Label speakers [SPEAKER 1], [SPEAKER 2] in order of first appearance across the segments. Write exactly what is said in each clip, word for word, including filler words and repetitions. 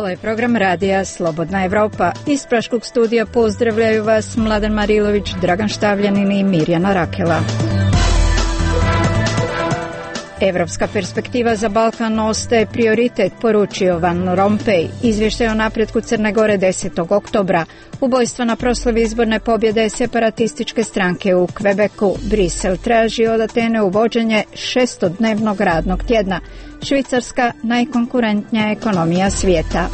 [SPEAKER 1] Ovo je program radija Slobodna Evropa. Iz Praškog studija pozdravljaju vas Mladen Marilović, Dragan Štavljanin i Mirjana Rakela. Evropska perspektiva za Balkan ostaje prioritet, poručio Van Rompuy. Izvještaj o napretku Crne Gore desetog oktobra. Ubojstva na proslavi izborne pobjede separatističke stranke u Kvebeku. Brisel traži od Atene uvođenje šestodnevnog radnog tjedna. Švicarska najkonkurentnija ekonomija svijeta.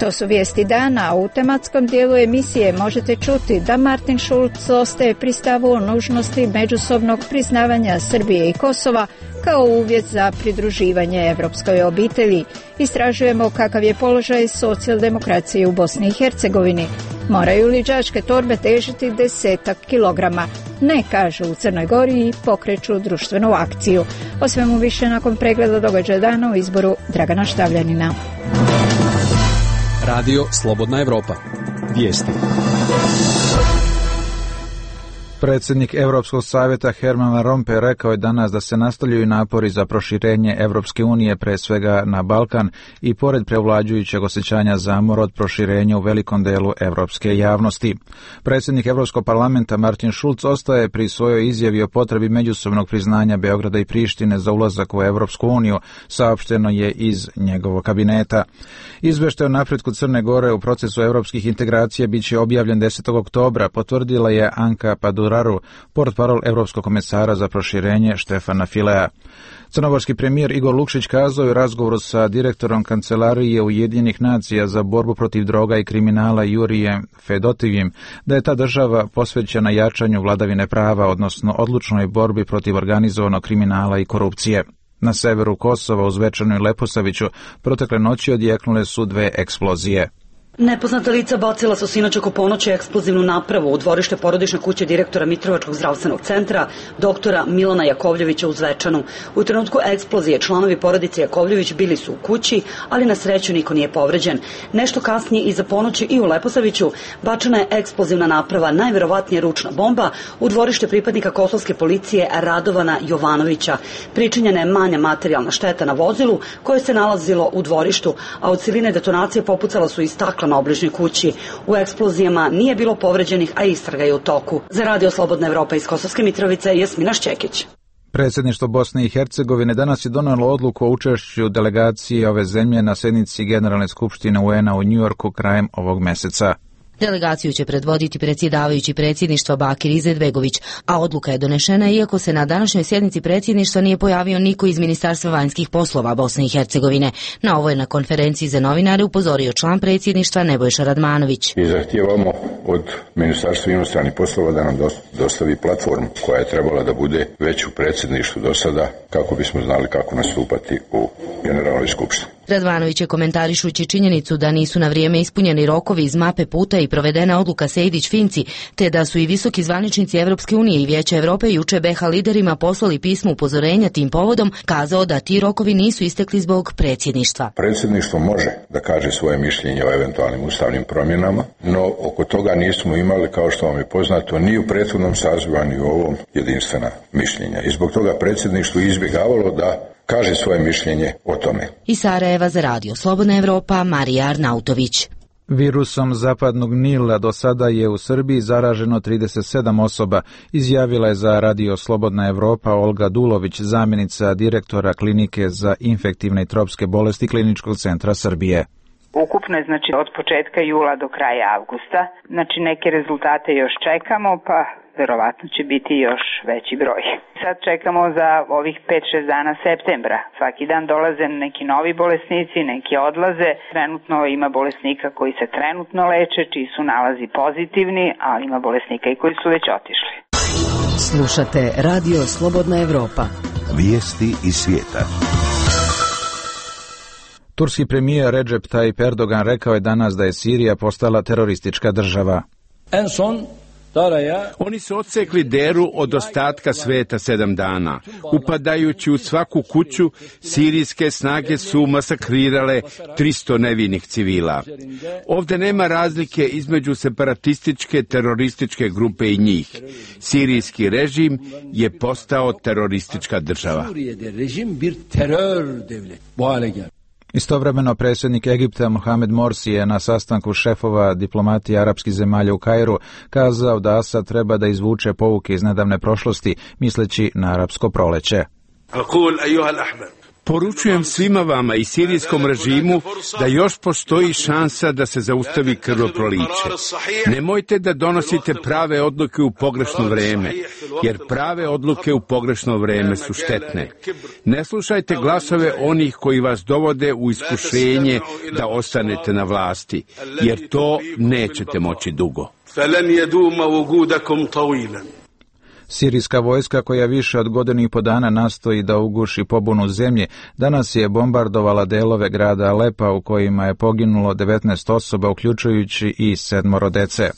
[SPEAKER 1] To su vijesti dana, a u tematskom dijelu emisije možete čuti da Martin Schulz ostaje pri stavu o nužnosti međusobnog priznavanja Srbije i Kosova kao uvjet za pridruživanje evropskoj obitelji. Istražujemo kakav je položaj socijaldemokracije u Bosni i Hercegovini. Moraju li đačke torbe težiti desetak kilograma? Ne, kažu u Crnoj Gori i pokreću društvenu akciju. O svemu više nakon pregleda događaja dana u izboru Dragana Štavljanina.
[SPEAKER 2] Radio Slobodna Evropa. Vijesti.
[SPEAKER 3] Predsjednik Europskog savjeta Herman Van Rompuy rekao je danas da se nastavljaju napori za proširenje Europske unije, pre svega na Balkan, i pored prevlađujućeg osjećanja zamora od proširenja u velikom delu europske javnosti. Predsjednik Europskog parlamenta Martin Schulz ostaje pri svojoj izjavi o potrebi međusobnog priznanja Beograda i Prištine za ulazak u Europsku uniju, saopšteno je iz njegovog kabineta. Izvještaj o napretku Crne Gore u procesu europskih integracija bit će objavljen desetog oktobra, potvrdila je Anka Padura, portparol Europskog komesara za proširenje Štefana Filea. Crnogorski premijer Igor Lukšić kazao je u razgovoru sa direktorom Kancelarije Ujedinjenih nacija za borbu protiv droga i kriminala Jurijem Fedotivim da je ta država posvećena jačanju vladavine prava, odnosno odlučnoj borbi protiv organizovanog kriminala i korupcije. Na severu Kosova, u Zvečanu i Leposaviću, protekle noći odjeknule su dve eksplozije.
[SPEAKER 4] Nepoznata lica bacila su sinoć oko ponoći eksplozivnu napravu u dvorište porodične kuće direktora Mitrovačkog zdravstvenog centra, doktora Milana Jakovljevića u Zvečanu. U trenutku eksplozije članovi porodice Jakovljević bili su u kući, ali na sreću niko nije povređen. Nešto kasnije iza ponoći i u Leposaviću bačena je eksplozivna naprava, najverovatnije ručna bomba, u dvorište pripadnika kosovske policije Radovana Jovanovića. Pričinjena je manja materijalna šteta na vozilu koje se nalazilo u dvorištu, a od siline detonacije popucala su i stakla na obližnjoj kući. U eksplozijama nije bilo povređenih, a istraga je u toku. Za Radio Slobodna Evropa iz Kosovske Mitrovice, Jasmina Šćekić.
[SPEAKER 3] Predsjedništvo Bosne i Hercegovine danas je donijelo odluku o učešću delegacije ove zemlje na sjednici Generalne skupštine U N A u Njujorku krajem ovog meseca.
[SPEAKER 5] Delegaciju će predvoditi predsjedavajući predsjedništva Bakir Izetbegović, a odluka je donešena iako se na današnjoj sjednici predsjedništva nije pojavio niko iz Ministarstva vanjskih poslova Bosne i Hercegovine. Na ovo je na konferenciji za novinare upozorio član predsjedništva Nebojša Radmanović.
[SPEAKER 6] I zahtijevamo od Ministarstva inostranih poslova da nam dostavi platformu koja je trebala da bude već u predsjedništvu do sada, kako bismo znali kako nastupati u Generalnoj skupštini.
[SPEAKER 5] Radmanović je komentarišući činjenicu da nisu na vrijeme ispunjeni rokovi iz mape puta i provedena odluka Sejdić-Finci, te da su i visoki zvaničnici Evropske unije i Vijeća Europe juče B H liderima poslali pismo upozorenja tim povodom, kazao da ti rokovi nisu istekli zbog predsjedništva.
[SPEAKER 6] Predsjedništvo može da kaže svoje mišljenje o eventualnim ustavnim promjenama, no oko toga nismo imali, kao što vam je poznato, ni u prethodnom sazivu, ni u ovom jedinstvena mišljenja. I zbog toga predsjedništvo izbjegavalo da kaže svoje mišljenje o tome.
[SPEAKER 5] Iz Sarajeva za Radio Slobodna Evropa, Marija Arnautović.
[SPEAKER 3] Virusom zapadnog Nila do sada je u Srbiji zaraženo trideset sedam osoba, izjavila je za Radio Slobodna Evropa Olga Dulović, zamjenica direktora Klinike za infektivne i tropske bolesti Kliničkog centra Srbije.
[SPEAKER 7] Ukupno je, znači, od početka jula do kraja avgusta. Znači, neke rezultate još čekamo, pa verovatno će biti još veći broj. Sad čekamo za ovih pet šest dana septembra. Svaki dan dolaze neki novi bolesnici, neki odlaze. Trenutno ima bolesnika koji se trenutno leče, čiji su nalazi pozitivni, ali ima bolesnika i koji su već otišli.
[SPEAKER 8] Slušate Radio Slobodna Evropa.
[SPEAKER 9] Vijesti iz svijeta.
[SPEAKER 3] Turski premijer Recep Tayyip Erdogan rekao je danas da je Sirija postala teroristička država.
[SPEAKER 10] En son Oni su odsekli Deru od ostatka sveta sedam dana. Upadajući u svaku kuću, sirijske snage su masakrirale tristo nevinih civila. Ovdje nema razlike između separatističke terorističke grupe i njih. Sirijski režim je postao teroristička država.
[SPEAKER 3] Istovremeno predsjednik Egipta Mohamed Morsi je na sastanku šefova diplomatije arapskih zemalja u Kairu kazao da Asad treba da izvuče pouke iz nedavne prošlosti, misleći na arapsko proleće.
[SPEAKER 10] Poručujem svima vama i sirijskom režimu da još postoji šansa da se zaustavi krvoproliće. Nemojte da donosite prave odluke u pogrešno vrijeme, jer prave odluke u pogrešno vrijeme su štetne. Ne slušajte glasove onih koji vas dovode u iskušenje da ostanete na vlasti, jer to nećete moći dugo.
[SPEAKER 3] Sirijska vojska, koja više od godinu i po dana nastoji da uguši pobunu zemlje, danas je bombardovala delove grada Alepa u kojima je poginulo devetnaest osoba, uključujući i sedmoro dece.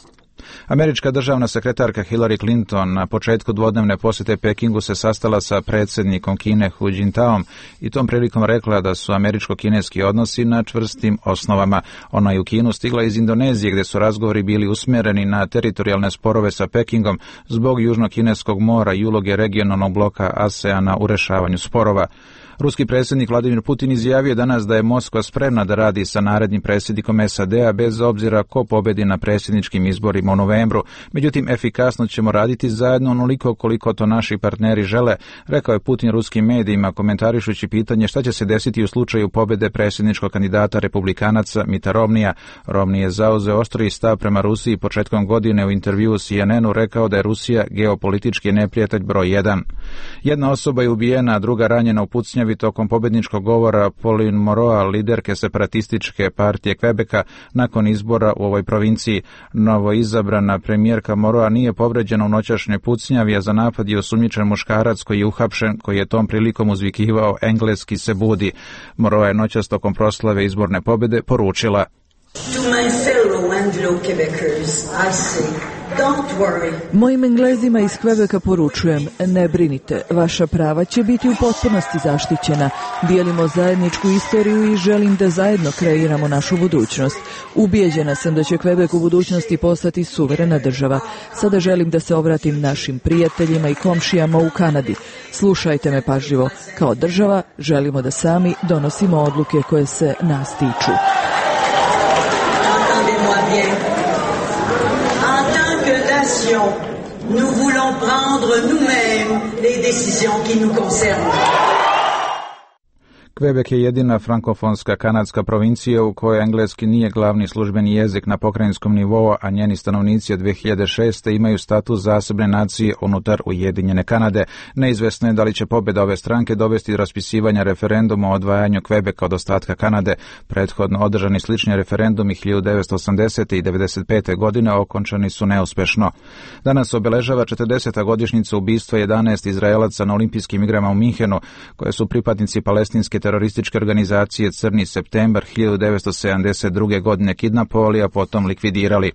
[SPEAKER 3] Američka državna sekretarka Hillary Clinton na početku dvodnevne posjete Pekingu se sastala sa predsjednikom Kine Hu Jintaom i tom prilikom rekla da su američko-kineski odnosi na čvrstim osnovama. Ona je u Kinu stigla iz Indonezije, gdje su razgovori bili usmjereni na teritorijalne sporove sa Pekingom zbog Južno-kineskog mora i uloge regionalnog bloka ASEANA u rešavanju sporova. Ruski predsjednik Vladimir Putin izjavio danas da je Moskva spremna da radi sa narednim predsjednikom S A D-a bez obzira ko pobedi na predsjedničkim izborima u novembru. Međutim, efikasno ćemo raditi zajedno onoliko koliko to naši partneri žele, rekao je Putin ruskim medijima komentarišući pitanje šta će se desiti u slučaju pobjede predsjedničkog kandidata republikanaca Mitta Romneya. Romney je zauzeo oštriji stav prema Rusiji početkom godine u intervjuu C N N-u rekao da je Rusija geopolitički neprijatelj broj jedan. Jedna osoba je ubijena, a druga ranjena u pucnjavi tokom pobjedničkog govora Pauline Moroa, liderke separatističke partije Quebeca, nakon izbora u ovoj provinciji. Novo izabrana premijerka Moroa nije povređena u noćašnjoj pucnjavi, a za napad je osumnjičen muškarac koji je uhapšen, koji je tom prilikom uzvikivao engleski se budi. Moroa je noćas tokom proslave izborne pobjede poručila:
[SPEAKER 11] Mojim Englezima iz Quebeca poručujem, ne brinite, vaša prava će biti u potpunosti zaštićena. Dijelimo zajedničku istoriju i želim da zajedno kreiramo našu budućnost. Ubijeđena sam da će Quebec u budućnosti postati suverena država. Sada želim da se obratim našim prijateljima i komšijama u Kanadi. Slušajte me pažljivo. Kao država želimo da sami donosimo odluke koje se nas tiču.
[SPEAKER 12] Nous voulons prendre nous-mêmes les décisions qui nous concernent.
[SPEAKER 3] Quebec je jedina frankofonska kanadska provincija u kojoj engleski nije glavni službeni jezik na pokrajinskom nivou, a njeni stanovnici od dve hiljade šeste imaju status zasebne nacije unutar Ujedinjene Kanade. Neizvesno je da li će pobjeda ove stranke dovesti do raspisivanja referenduma o odvajanju Quebeca od ostatka Kanade. Prethodno održani slični referendumi hiljadu devetsto osamdesete i devedeset pete godine okončani su neuspešno. Danas obeležava četrdeseta godišnjica ubistva jedanaest Izraelaca na olimpijskim igrama u Minhenu, koje su pripadnici palestinske terorističke organizacije Crni septembar hiljadu devetsto sedamdeset druge. godine kidnapovali, a potom likvidirali.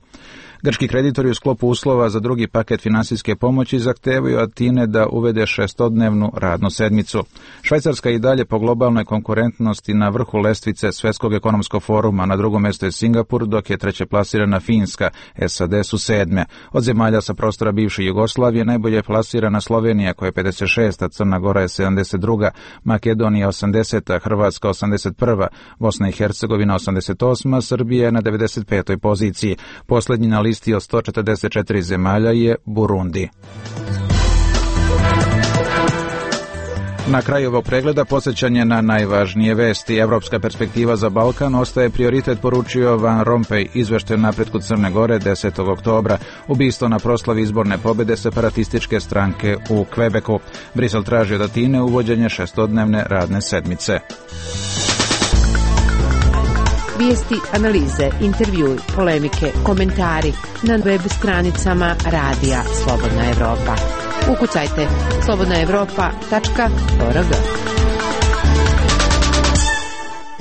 [SPEAKER 3] Grčki kreditori u sklopu uslova za drugi paket finansijske pomoći zahtevaju Atine da uvede šestodnevnu radnu sedmicu. Švajcarska je i dalje po globalnoj konkurentnosti na vrhu lestvice Svjetskog ekonomskog foruma, na drugom mjestu je Singapur, dok je treće plasirana Finska, S A D su sedme. Od zemalja sa prostora bivše Jugoslavije najbolje je plasirana Slovenija koja je pedeset šesta, Crna Gora je sedamdeset druga, Makedonija osamdeseta, Hrvatska osamdeset prva, Bosna i Hercegovina osamdeset osma, Srbija je na devedeset petoj poziciji. Posljednji na listi od sto četrdeset četiri zemalja je Burundi. Na kraju ovog pregleda podsjećanje na najvažnije vesti. Evropska perspektiva za Balkan ostaje prioritet, poručio Van Rompuy, izveštaj o napretku Crne Gore desetog oktobra, ubistvo na proslavi izborne pobjede separatističke stranke u Quebecu. Brisel traži od Atine uvođenje šestodnevne radne sedmice.
[SPEAKER 13] Vijesti, analize, intervjui, polemike, komentari na web stranicama Radija Slobodna Evropa. Ukucajte slobodna evropa tačka org.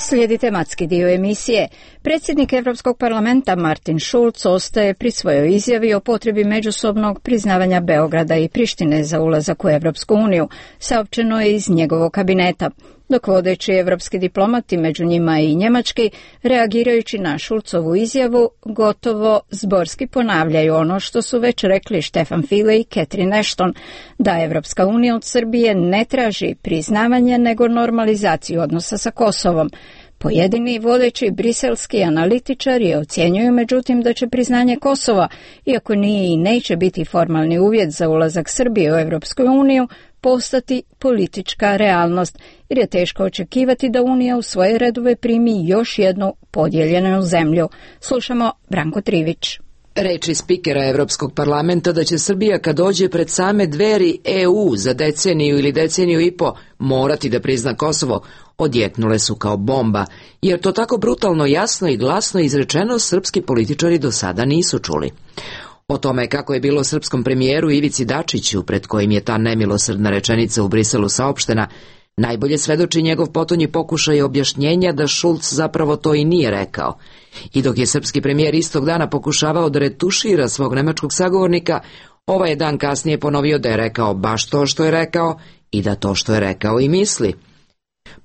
[SPEAKER 1] Slijedi tematski dio emisije. Predsjednik Europskog parlamenta Martin Schulz ostaje pri svojoj izjavi o potrebi međusobnog priznavanja Beograda i Prištine za ulazak u Europsku uniju, saopćeno je iz njegovog kabineta. Dok vodeći evropski diplomati, među njima i njemački, reagirajući na Schulzovu izjavu, gotovo zborski ponavljaju ono što su već rekli Stefan Füle i Catherine Ashton, da Evropska unija od Srbije ne traži priznavanje nego normalizaciju odnosa sa Kosovom. Pojedini vodeći briselski analitičari ocjenjuju međutim da će priznanje Kosova, iako nije i neće biti formalni uvjet za ulazak Srbije u Evropsku uniju, postati politička realnost, jer je teško očekivati da Unija u svoje redove primi još jednu podijeljenu zemlju. Slušamo Branko Trivić.
[SPEAKER 14] Reči spikera Evropskog parlamenta da će Srbija kad dođe pred same dveri E U za deceniju ili deceniju i po morati da prizna Kosovo odjeknule su kao bomba, jer to tako brutalno jasno i glasno izrečeno srpski političari do sada nisu čuli. O tome kako je bilo srpskom premijeru Ivici Dačiću, pred kojim je ta nemilosrdna rečenica u Briselu saopštena, najbolje svedoči njegov potonji pokušaj objašnjenja da Schulz zapravo to i nije rekao. I dok je srpski premijer istog dana pokušavao da retušira svog nemačkog sagovornika, ovaj je dan kasnije ponovio da je rekao baš to što je rekao i da to što je rekao i misli.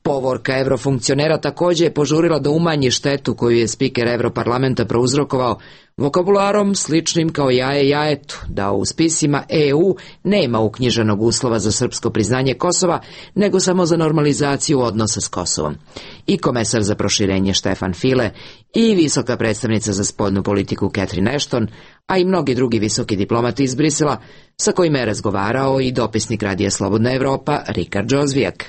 [SPEAKER 14] Povorka eurofunkcionera također je požurila da umanji štetu koju je spiker Europarlamenta prouzrokovao vokabularom sličnim kao jaje jajetu, da u spisima E U nema uknjiženog uslova za srpsko priznanje Kosova, nego samo za normalizaciju odnosa s Kosovom. I komesar za proširenje Stefan Füle i visoka predstavnica za spoljnu politiku Catherine Ashton, a i mnogi drugi visoki diplomati iz Brisela, sa kojima je razgovarao i dopisnik Radija Slobodna Evropa Rikard Džozvijak.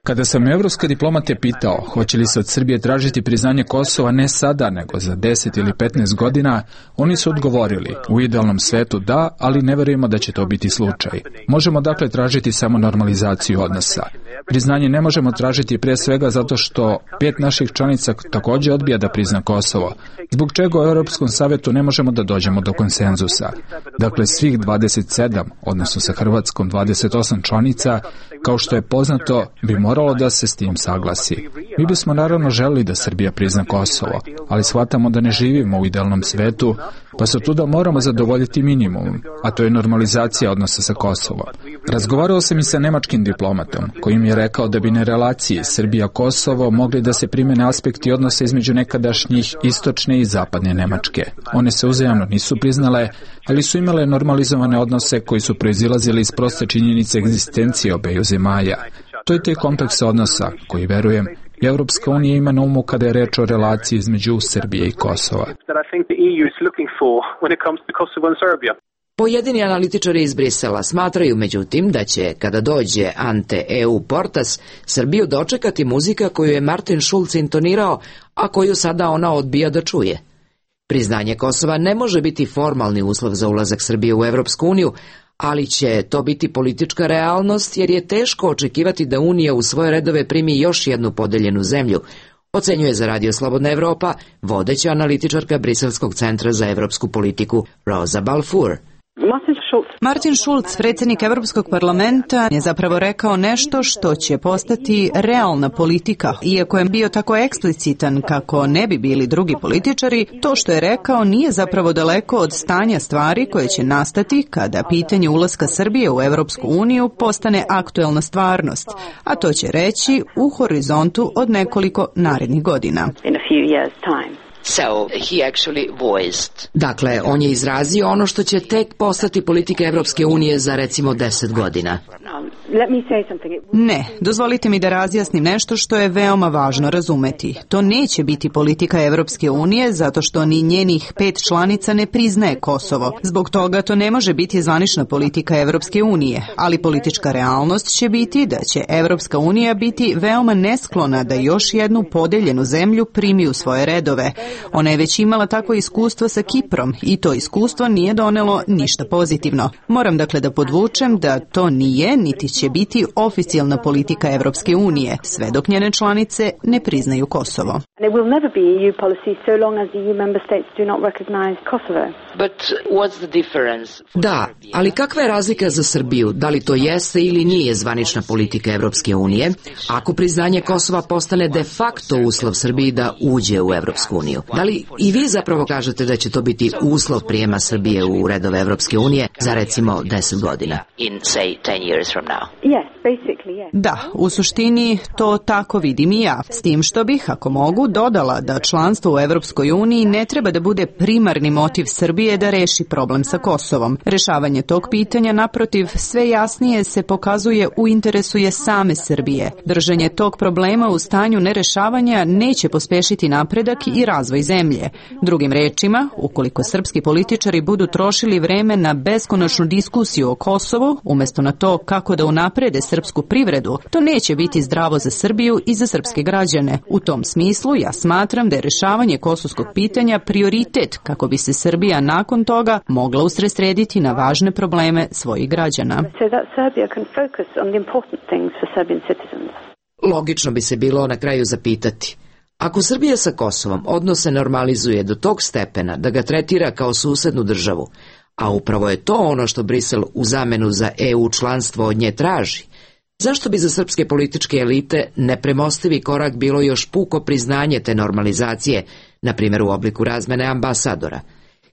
[SPEAKER 15] Kada sam evropske diplomate pitao hoće li se od Srbije tražiti priznanje Kosova ne sada nego za deset ili petnaest godina, oni su odgovorili u idealnom svetu da, ali ne verujemo da će to biti slučaj. Možemo dakle tražiti samo normalizaciju odnosa. Priznanje ne možemo tražiti pre svega zato što pet naših članica također odbija da prizna Kosovo, zbog čega u Europskom savetu ne možemo da dođemo do konsenzusa. Dakle, svih dvadeset sedam, odnosno sa Hrvatskom dvadeset osam članica, kao što je poznato, bi moralo da se s tim saglasi. Mi bismo naravno želeli da Srbija prizna Kosovo, ali shvatamo da ne živimo u idealnom svetu, pa se tuda moramo zadovoljiti minimum, a to je normalizacija odnosa sa Kosovom. Razgovarao sam i sa nemačkim diplomatom, koji mi je rekao da bi na relaciji Srbija-Kosovo mogli da se primene aspekti odnosa između nekadašnjih istočne i zapadne Nemačke. One se uzajamno nisu priznale, ali su imale normalizovane odnose koji su proizilazili iz proste činjenice egzistencije obeju zemalja. To je taj kompleks odnosa koji, verujem, Evropska unija ima na umu kada je reč o relaciji između Srbije i Kosova.
[SPEAKER 14] Pojedini analitičari iz Brisela smatraju međutim da će, kada dođe ante E U Portas, Srbiju dočekati muzika koju je Martin Schulz intonirao, a koju sada ona odbija da čuje. Priznanje Kosova ne može biti formalni uslov za ulazak Srbije u Evropsku uniju, ali će to biti politička realnost jer je teško očekivati da Unija u svoje redove primi još jednu podeljenu zemlju, ocenjuje za Radio Slobodna Evropa vodeća analitičarka Briselskog centra za evropsku politiku Rosa Balfour.
[SPEAKER 16] Martin Schulz, predsjednik Europskog parlamenta, je zapravo rekao nešto što će postati realna politika. Iako je bio tako eksplicitan kako ne bi bili drugi političari, to što je rekao nije zapravo daleko od stanja stvari koje će nastati kada pitanje ulaska Srbije u Europsku uniju postane aktuelna stvarnost, a to će reći u horizontu od nekoliko narednih godina.
[SPEAKER 14] So, he actually voiced. Dakle, on je izrazio ono što će tek postati politika Evropske unije za recimo deset godina.
[SPEAKER 16] Ne, dozvolite mi da razjasnim nešto što je veoma važno razumeti. To neće biti politika Evropske unije zato što ni njenih pet članica ne priznaje Kosovo. Zbog toga to ne može biti zvanična politika Evropske unije, ali politička realnost će biti da će Evropska unija biti veoma nesklona da još jednu podeljenu zemlju primi u svoje redove. Ona je već imala takvo iskustvo sa Kiprom i to iskustvo nije donelo ništa pozitivno. Moram dakle da podvučem da to nije, niti neće biti oficijalna politika Evropske unije, sve dok njene članice ne priznaju Kosovo.
[SPEAKER 14] Da, ali kakva je razlika za Srbiju? Da li to jeste ili nije zvanična politika Evropske unije, ako priznanje Kosova postane de facto uslov Srbiji da uđe u Evropsku uniju? Da li i vi zapravo kažete da će to biti uslov prijema Srbije u redove Evropske unije za recimo deset godina?
[SPEAKER 16] Da, u suštini to tako vidim i ja, s tim što bih, ako mogu, dodala da članstvo u Evropskoj uniji ne treba da bude primarni motiv Srbije da reši problem sa Kosovom. Rešavanje tog pitanja, naprotiv, sve jasnije se pokazuje u interesu je same Srbije. Držanje tog problema u stanju nerešavanja neće pospešiti napredak i razvoj zemlje. Drugim rečima, ukoliko srpski političari budu trošili vreme na beskonačnu diskusiju o Kosovu, umjesto na to kako da unaprede srpsku privredu, to neće biti zdravo za Srbiju i za srpske građane. U tom smislu ja smatram da je rešavanje kosovskog pitanja prioritet kako bi se Srbija nakon toga mogla usredsrediti na važne probleme svojih građana.
[SPEAKER 14] Logično bi se bilo na kraju zapitati, ako Srbija sa Kosovom odnose normalizuje do tog stepena da ga tretira kao susednu državu, a upravo je to ono što Brisel u zamenu za E U članstvo od nje traži, zašto bi za srpske političke elite nepremostivi korak bilo još puko priznanje te normalizacije, na primjer u obliku razmene ambasadora?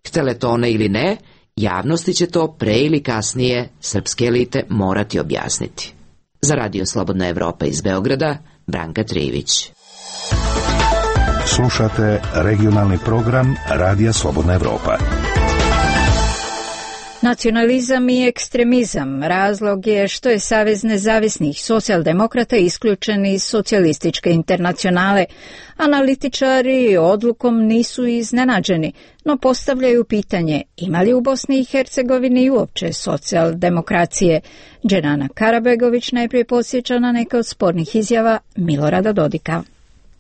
[SPEAKER 14] Htele to one ili ne, javnosti će to pre ili kasnije srpske elite morati objasniti. Za Radio Slobodna Evropa iz Beograda, Branka Trivić.
[SPEAKER 9] Slušate regionalni program Radija Slobodna Evropa.
[SPEAKER 1] Nacionalizam i ekstremizam razlog je što je Savez nezavisnih socijaldemokrata isključen iz socijalističke internacionale. Analitičari odlukom nisu iznenađeni, no postavljaju pitanje ima li u Bosni i Hercegovini uopće socijaldemokracije. Dženana Karabegović najprije podsjeća na neke od spornih izjava Milorada Dodika.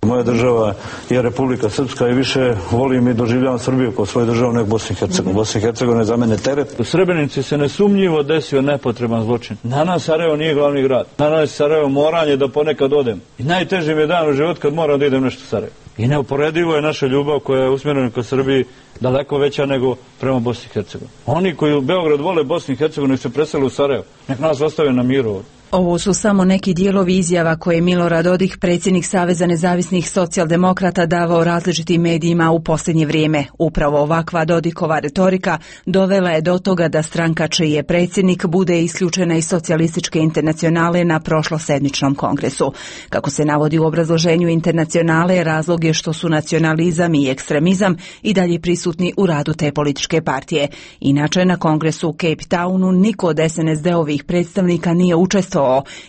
[SPEAKER 17] Moja država je Republika Srpska i više volim i doživljavam Srbiju kao svoju državu nego Bosnu i Hercegovinu. Bosna i Hercegovina je za mene teret. U Srebrenici se nesumnjivo desio nepotreban zločin. Na nas Sarajevo nije glavni grad. Na nas Sarajevo moranje da ponekad odem. I najteži mi je dan u život kad moram da idem nešto u Sarajevo. I neuporedivo je naša ljubav koja je usmjerena ka Srbiji daleko veća nego prema Bosni i Hercegovini. Oni koji u Beograd vole Bosnu i Hercegovinu se presele u Sarajevo. Nek nas ostave na miru ovdje.
[SPEAKER 18] Ovo su samo neki dijelovi izjava koje je Milorad Dodik, predsjednik Saveza nezavisnih socijaldemokrata, davao različitim medijima u posljednje vrijeme. Upravo ovakva Dodikova retorika dovela je do toga da stranka čiji je predsjednik bude isključena iz socijalističke internacionale na prošlosedmičnom kongresu. Kako se navodi u obrazloženju internacionale, razlog je što su nacionalizam i ekstremizam i dalje prisutni u radu te političke partije. Inače, na kongresu u Cape Townu niko od S N S D-ovih predstavnika nije učestvovao,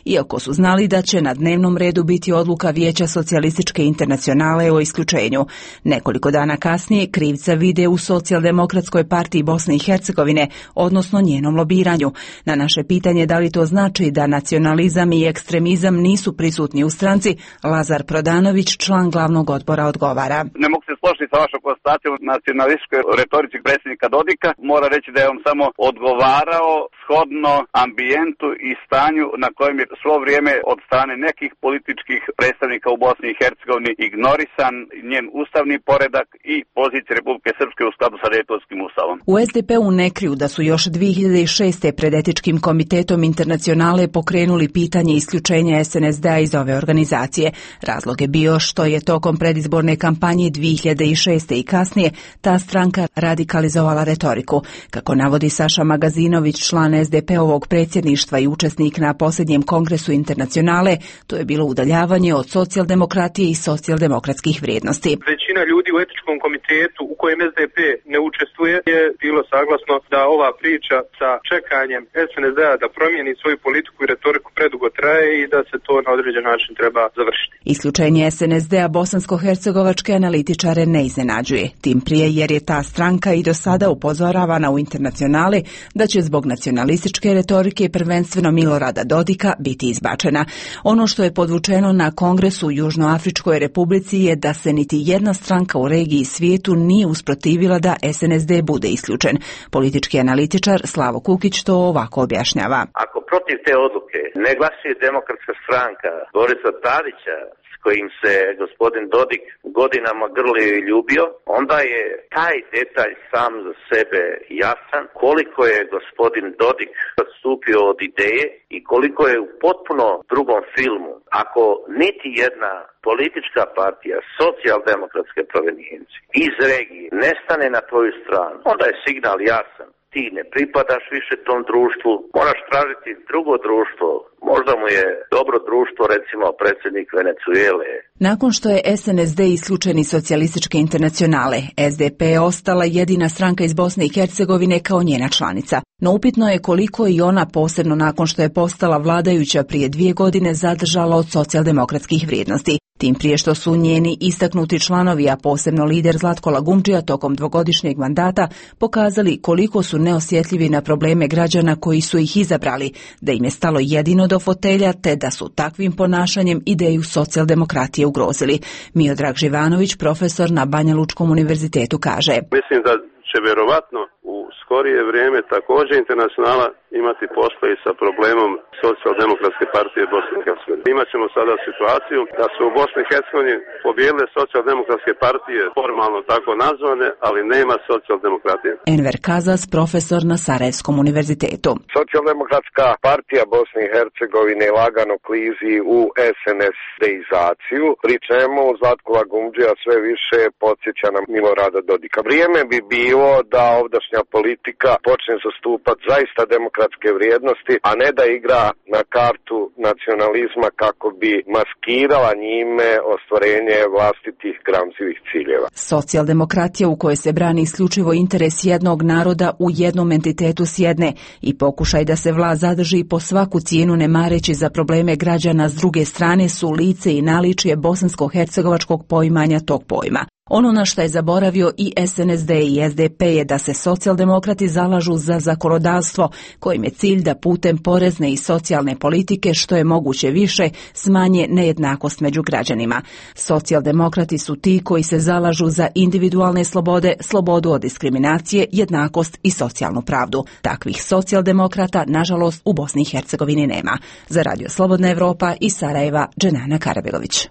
[SPEAKER 18] iako su znali da će na dnevnom redu biti odluka Vijeća socijalističke internacionale o isključenju. Nekoliko dana kasnije krivca vide u Socijaldemokratskoj partiji Bosne i Hercegovine, odnosno njenom lobiranju. Na naše pitanje da li to znači da nacionalizam i ekstremizam nisu prisutni u stranci, Lazar Prodanović, član glavnog odbora, odgovara.
[SPEAKER 19] Ne mogu se složiti sa vašom konstatacijom nacionalističkoj retorici predsjednika Dodika. Mora reći da je on samo odgovarao shodno ambijentu i stanju na kojem je svo vrijeme od strane nekih političkih predstavnika u Bosni i Hercegovini ignorisan njen ustavni poredak i pozicija Republike Srpske u skladu sa Dejtonskim ustavom.
[SPEAKER 18] U S D P-u ne kriju da su još dvije hiljade šeste. pred etičkim komitetom internacionale pokrenuli pitanje isključenja S N S D-a iz ove organizacije. Razlog je bio što je tokom predizborne kampanje dvije hiljade šeste. i kasnije ta stranka radikalizovala retoriku. Kako navodi Saša Magazinović, član S D P-ovog predsjedništva i učesnik na posljednjem kongresu internacionale, to je bilo udaljavanje od socijaldemokratije i socijaldemokratskih vrijednosti.
[SPEAKER 20] Većina ljudi u etičkom komitetu u kojem S D P ne učestvuje je bilo saglasno da ova priča sa čekanjem S N S D-a da promijeni svoju politiku i retoriku predugo traje i da se to na određen način treba završiti.
[SPEAKER 18] Isključenje S N S D-a bosansko-hercegovačke analitičare ne iznenađuje, tim prije jer je ta stranka i do sada upozoravana u internacionale da će zbog nacionalističke retorike prvenstveno Milorada Dodika biti izbačena. Ono što je podvučeno na Kongresu u Južnoafričkoj Republici je da se niti jedna stranka u regiji i svijetu nije usprotivila da S N S D bude isključen. Politički analitičar Slavo Kukić to ovako objašnjava.
[SPEAKER 21] Ako protiv te odluke ne glasuje Demokratska stranka Borisa Tadića, kojim se gospodin Dodik godinama grlio i ljubio, onda je taj detalj sam za sebe jasan koliko je gospodin Dodik odstupio od ideje i koliko je u potpuno drugom filmu. Ako niti jedna politička partija socijaldemokratske provenijencije iz regije ne stane na tvoju stranu, onda je signal jasan. Ti ne pripadaš više tom društvu, moraš tražiti drugo društvo. Možda mu je dobro društvo, recimo predsjednik Venezuele.
[SPEAKER 18] Nakon što je S N S D isključen iz Socijalističke internacionale, S D P je ostala jedina stranka iz Bosne i Hercegovine kao njena članica. No upitno je koliko i ona, posebno nakon što je postala vladajuća prije dvije godine, zadržala od socijaldemokratskih vrijednosti. Tim prije što su njeni istaknuti članovi, a posebno lider Zlatko Lagumdžija tokom dvogodišnjeg mandata, pokazali koliko su neosjetljivi na probleme građana koji su ih izabrali, da im je stalo jedino do fotelja, te da su takvim ponašanjem ideju socijaldemokratije ugrozili. Miodrag Živanović, profesor na Banja Lučkom univerzitetu, kaže:
[SPEAKER 22] Mislim da će vjerovatno u skorije vrijeme također internacionala imati posla i sa problemom socijaldemokratske partije Bosne i Hercegovine. Imat ćemo sada situaciju da su u Bosni i Hercegovini pobijedile socijaldemokratske partije, formalno tako nazvane, ali nema socijaldemokratije.
[SPEAKER 18] Enver Kazas, profesor na Sarajevskom univerzitetu.
[SPEAKER 23] Socijaldemokratska partija Bosne i Hercegovine lagano klizi u S N S D-izaciju, pri čemu Zlatko Lagumdžija sve više podsjeća na Milorada Dodika. Vrijeme bi bilo da ovdašnja politika počne zastupati zaista demokratske vrijednosti, a ne da igra na kartu nacionalizma kako bi maskirala njime ostvarenje vlastitih gramzivih ciljeva.
[SPEAKER 18] Socijaldemokratija u kojoj se brani isključivo interes jednog naroda u jednom entitetu s jedne i pokušaj da se vlast zadrži po svaku cijenu ne mareći za probleme građana s druge strane su lice i naličje bosansko-hercegovačkog poimanja tog pojma. Ono na što je zaboravio i S N S D i S D P je da se socijaldemokrati zalažu za zakonodavstvo kojim je cilj da putem porezne i socijalne politike što je moguće više smanje nejednakost među građanima. Socijaldemokrati su ti koji se zalažu za individualne slobode, slobodu od diskriminacije, jednakost i socijalnu pravdu. Takvih socijaldemokrata, nažalost, u Bosni i Hercegovini nema. Za Radio Slobodna Evropa iz Sarajeva, Dženana Karabegović.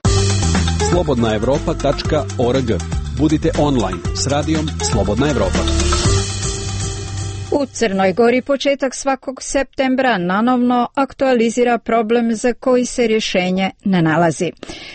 [SPEAKER 2] slobodna evropa tačka org. Budite online s radijom Slobodna Evropa.
[SPEAKER 1] U Crnoj Gori početak svakog septembra nanovno aktualizira problem za koji se rješenje ne nalazi.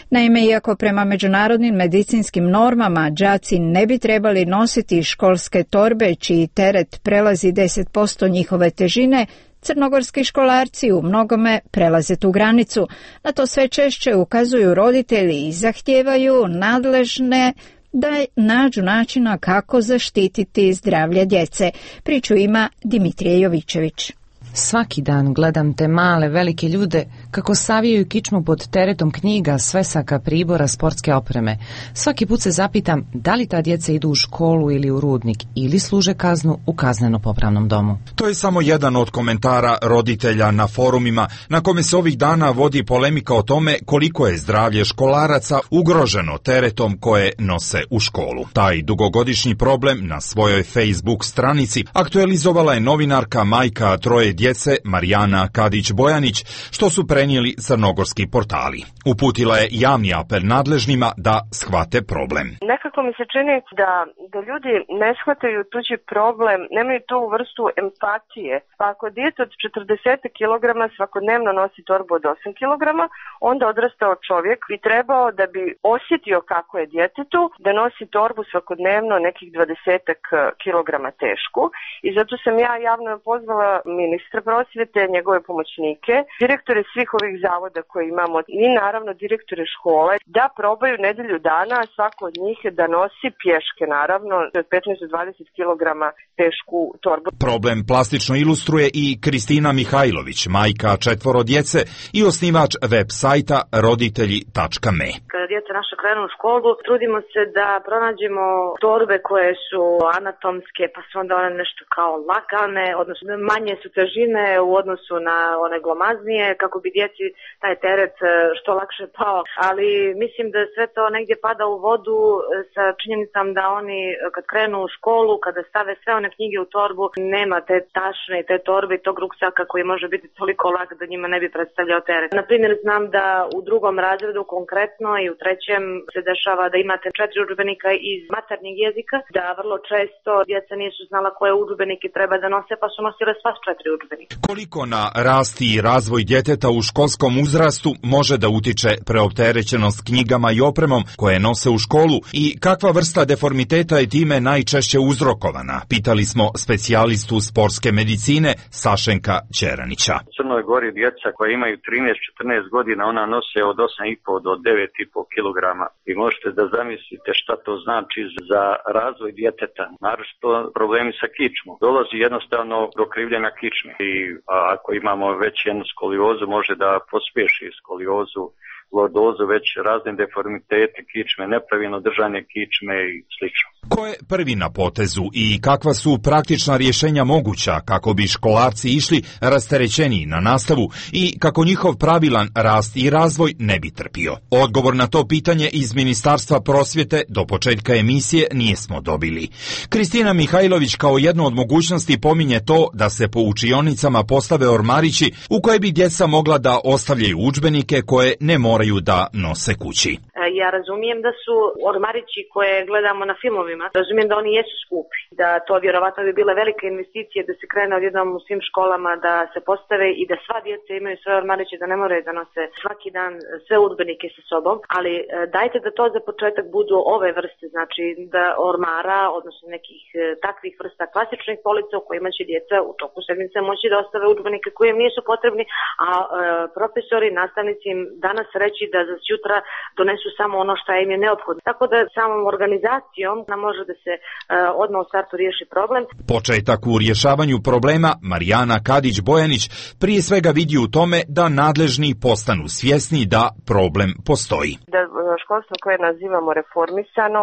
[SPEAKER 1] Naime, iako prema međunarodnim medicinskim normama đaci ne bi trebali nositi školske torbe čiji teret prelazi deset posto njihove težine, crnogorski školarci u mnogome prelaze tu granicu. Na to sve češće ukazuju roditelji i zahtijevaju nadležne da nađu načina kako zaštititi zdravlje djece. Priču ima Dimitrije Jovićević.
[SPEAKER 24] Svaki dan gledam te male, velike ljude kako savijaju kičmu pod teretom knjiga, svesaka, pribora, sportske opreme. Svaki put se zapitam da li ta djeca idu u školu ili u rudnik ili služe kaznu u kazneno-popravnom domu.
[SPEAKER 25] To je samo jedan od komentara roditelja na forumima na kome se ovih dana vodi polemika o tome koliko je zdravlje školaraca ugroženo teretom koje nose u školu. Taj dugogodišnji problem na svojoj Facebook stranici aktualizovala je novinarka majka troje djece Marijana Kadić-Bojanić, što su prenijeli crnogorski portali. Uputila je javni apel nadležnima da shvate problem.
[SPEAKER 26] Nekako mi se čini da, da ljudi ne shvataju tuđi problem, nemaju tu vrstu empatije. Pa ako dijete od četrdeset kilograma svakodnevno nosi torbu od osam kilograma, onda odrastao čovjek bi trebao da bi osjetio kako je djetetu da nosi torbu svakodnevno nekih dvadeset kilograma tešku. I zato sam ja javno pozvala ministra prosvjete, njegove pomoćnike, direktore svih svih ovih zavoda koje imamo i naravno direktore škole da probaju nedelju dana svako od njih da nosi pješke, naravno od petnaest do dvadeset kilograma tešku torbu.
[SPEAKER 25] Problem plastično ilustruje i Kristina Mihajlović, majka četvoro djece i osnivač web sajta roditelji tačka me.
[SPEAKER 4] Kada djeca naša krenu u školu, trudimo se da pronađemo torbe koje su anatomske, pa su onda one nešto kao lagane, odnosno manje su težine u odnosu na one glomaznije, kako bi djeci taj teret što lakše pao. Ali mislim da sve to negdje pada u vodu sa činjenicom da oni kad krenu u školu, kada stave sve one knjige u torbu, nema te tašne i te torbe i tog ruksaka koji može biti toliko lak da njima ne bi predstavljao teret. Na primjer, znam da u drugom razredu konkretno i u trećem se dešava da imate četiri udžbenika iz maternjeg jezika, da vrlo često djeca nisu znala koje udžbenike treba da nose, pa su nosile sva četiri udžbenika.
[SPEAKER 25] Koliko na rast i razvoj djeteta u školskom uzrastu može da utiče preopterećenost knjigama i opremom koje nose u školu i kakva vrsta deformiteta je time najčešće uzrokovana? Pitali smo specijalistu sportske medicine Sašenka Ćeranića.
[SPEAKER 5] U Crnoj Gori djeca koja imaju trinaest četrnaest godina, ona nose od osam i po do devet i po kilograma. I možete da zamislite šta to znači za razvoj djeteta, naročito problemi sa kičmom. Dolazi jednostavno do krivljenja kičme i a, ako imamo već jednu skoliozu, može da pospješi skoliozu, lordozu, već razne deformitete kičme, nepravilno držanje kičme i slično.
[SPEAKER 25] Ko je prvi na potezu i kakva su praktična rješenja moguća kako bi školarci išli rasterećeniji na nastavu i kako njihov pravilan rast i razvoj ne bi trpio? Odgovor na to pitanje iz Ministarstva prosvjete do početka emisije nijesmo dobili. Kristina Mihajlović kao jednu od mogućnosti pominje to da se po učionicama postave ormarići u koje bi djeca mogla da ostavljaju udžbenike koje ne moraju da nose kući.
[SPEAKER 4] Ja razumijem da su ormarići koje gledamo na filmovima, razumijem da oni jesu skupi, da to vjerovatno bi bile velike investicije da se krene odjednom u svim školama da se postave i da sva djeca imaju svoje ormariće, da ne moraju da nose svaki dan sve udžbenike sa sobom, ali dajte da to za početak budu ove vrste, znači da ormara, odnosno nekih takvih vrsta klasičnih polica u kojima će djeca u toku sedmice moći da ostave udžbenike koji im nisu potrebni, a e, profesori, nastavnici im danas reći da za sutra donesu samo ono što im je neophodno. Tako da samom organizacijom nam može da se uh, odmah u startu riješi problem.
[SPEAKER 25] Početak u rješavanju problema Marijana Kadić-Bojanić prije svega vidi u tome da nadležni postanu svjesni da problem postoji.
[SPEAKER 26] Da školstvo koje nazivamo reformisano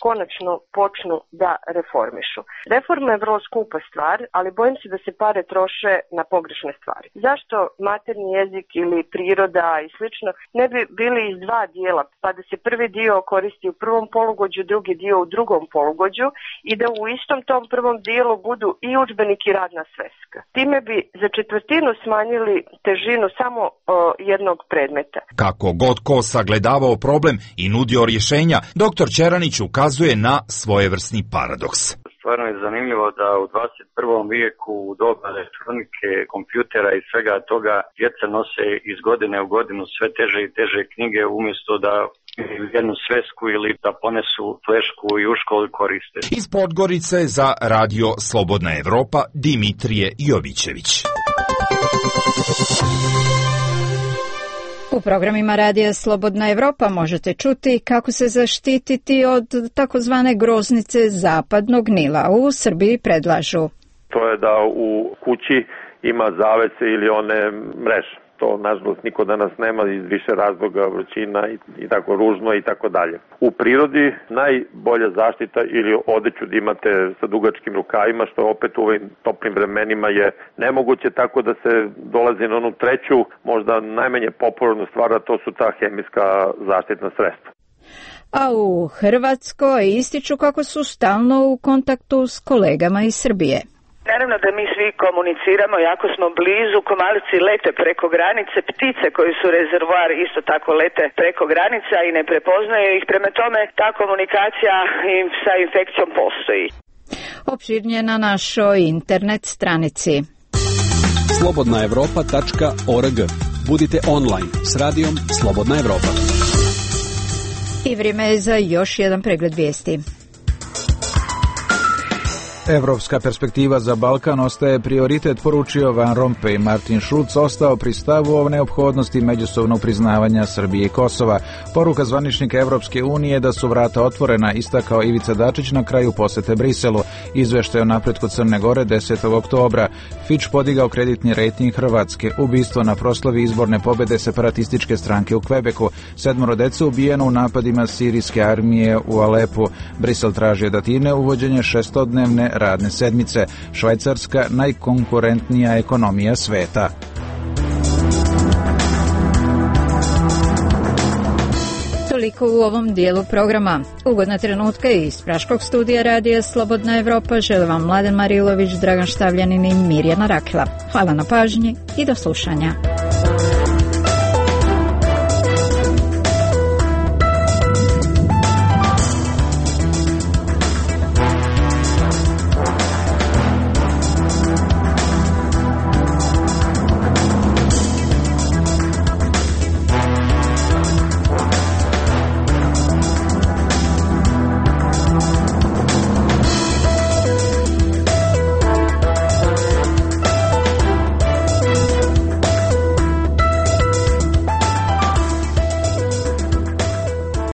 [SPEAKER 26] konačno počnu da reformišu. Reforma je vrlo skupa stvar, ali bojim se da se pare troše na pogrešne stvari. Zašto materni jezik ili priroda i slično ne bi bili iz dva dijela, pa da se prvi dio koristi u prvom polugođu, drugi dio u drugom polugođu i da u istom tom prvom dijelu budu i udžbenik i radna sveska. Time bi za četvrtinu smanjili težinu samo o, jednog predmeta.
[SPEAKER 25] Kako god ko sagledavao problem i nudio rješenja, doktor Ćeranić ukazuje na svojevrsni paradoks.
[SPEAKER 5] Stvarno je zanimljivo da u dvadeset prvom vijeku u doba elektronike, kompjutera i svega toga djeca nose iz godine u godinu sve teže i teže knjige umjesto da jednu svesku ili da ponesu flešku i u školi koriste.
[SPEAKER 25] Iz Podgorice za Radio Slobodna Evropa Dimitrije Jovićević.
[SPEAKER 1] U programima Radija Slobodna Evropa možete čuti kako se zaštititi od takozvane groznice zapadnog Nila. U Srbiji predlažu.
[SPEAKER 6] To je da u kući ima zavese ili one mreže. To, nažalost, niko danas nema iz više razloga, vrućina i, i tako ružno i tako dalje. U prirodi najbolja zaštita ili odeću da imate sa dugačkim rukavima, što opet u ovim toplim vremenima je nemoguće, tako da se dolazi na onu treću, možda najmanje popularnu stvar, a to su ta hemijska zaštitna sredstva.
[SPEAKER 1] A u Hrvatskoj ističu kako su stalno u kontaktu s kolegama iz Srbije.
[SPEAKER 7] Naravno da mi svi komuniciramo, jako smo blizu, komarci lete preko granice, ptice koji su rezervoar isto tako lete preko granica i ne prepoznaju ih, prema tome ta komunikacija im sa infekcijom postoji.
[SPEAKER 1] Opširnije na našoj internet stranici.
[SPEAKER 2] slobodna evropa tačka org. Budite online s radijom Slobodna Evropa.
[SPEAKER 1] I vrijeme je za još jedan pregled vijesti.
[SPEAKER 3] Evropska perspektiva za Balkan ostaje prioritet, poručio Van Rompuy. Martin Schulz ostao pri stavu o neophodnosti međusobnog priznavanja Srbije i Kosova. Poruka zvaničnika Evropske unije da su vrata otvorena, istakao Ivica Dačić na kraju posete Briselu. Izveštaj o napretku Crne Gore desetog oktobra. Fitch podigao kreditni rejting Hrvatske. Ubistvo na proslavi izborne pobede separatističke stranke u Kvebeku. Sedmoro dece ubijeno u napadima sirijske armije u Alepu. Brisel traži od Atine uvođenje šestodnevne radne sedmice. Švajcarska najkonkurentnija ekonomija sveta.
[SPEAKER 1] Toliko u ovom dijelu programa. Ugodna trenutka iz Praškog studija radija Slobodna Evropa žele vam Mladen Marilović, Dragan Štavljanin i Mirjana Rakla. Hvala na pažnji i do slušanja.